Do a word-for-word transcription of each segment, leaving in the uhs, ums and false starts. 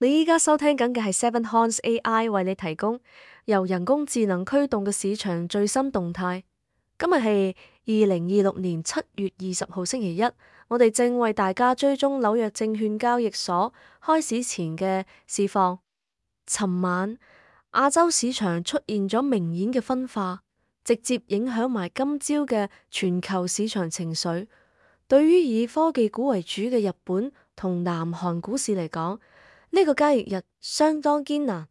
你依家收聽緊嘅係 Seven Horns A I 為你提供由人工智能驅動嘅市場最新動態。今日係二零二六年七月二十號星期一，我哋正為大家追蹤紐約證券交易所開市前嘅市況。尋晚亞洲市場出現咗明顯嘅分化，直接影響埋今朝嘅全球市場情緒。對於以科技股為主嘅日本同南韓股市嚟講，呢個交易日相當艱難。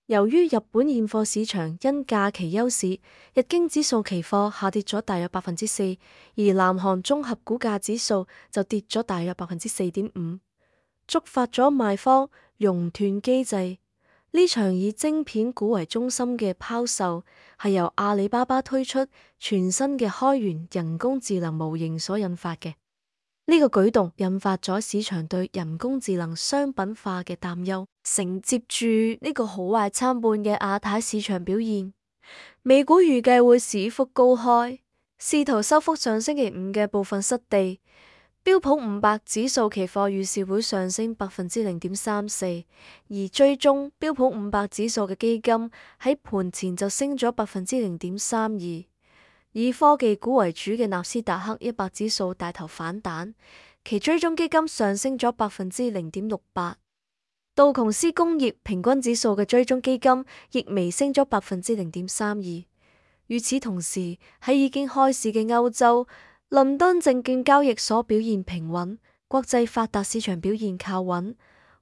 由於日本現貨市場因假期休市，日經指數期貨下跌咗大約百分之四，而南韓綜合股價指數就跌咗大約百分之四點五，觸發咗賣方熔斷機制。呢場以晶片股為中心嘅拋售係由阿里巴巴推出全新嘅開源人工智能模型所引發嘅。呢個舉動引發咗市場對人工智能商品化嘅擔憂，承接住呢個好壞參半嘅亞太市場表現。美股預計會市幅高開，試圖收復上星期五嘅部分失地。標普五百指數期貨預示會上升百分之零點三四，而追蹤標普五百指數嘅基金喺盤前就升咗百分之零點三二。以科技股為主嘅納斯達克一百指數帶頭反彈，其追蹤基金上升咗百分之零點六八。道瓊斯工業平均指數嘅追蹤基金亦微升咗百分之零點三二。與此同時，喺已經開市嘅歐洲，倫敦證券交易所表現平穩，國際發達市場表現靠穩。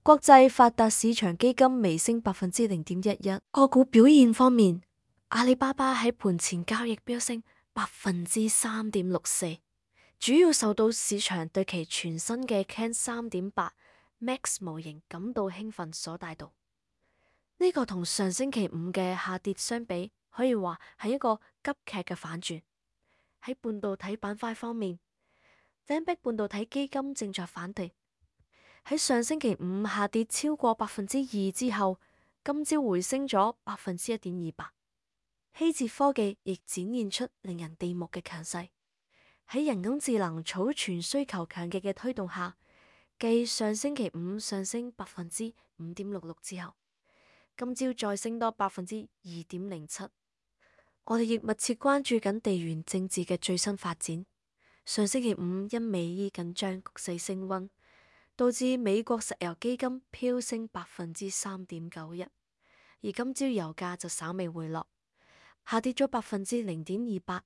國際發達市場基金微升百分之零點一一。個股表現方面，阿里巴巴喺盤前交易飆升百分之三點六四，主要受到市場對其全新嘅 Ken 三點八 Max 模型感到興奮所帶動。呢、這個同上星期五嘅下跌相比，可以話係一個急劇嘅反轉。喺半導體板塊方面，頂壁半導體基金正在反彈。喺上星期五下跌超過百分之二之後，今朝回升咗百分之一點二八。希捷科技亦展現出令人地目嘅強勢，喺人工智能儲存需求強勁嘅推動下，繼上星期五上升百分之五點六六之後，今朝再升多百分之二點零七。我哋亦密切關注緊地緣政治嘅最新發展。上星期五因美伊緊張局勢升溫，導致美國石油基金飆升百分之三點九一，而今朝油價就稍微回落，下跌咗百分之零點二八，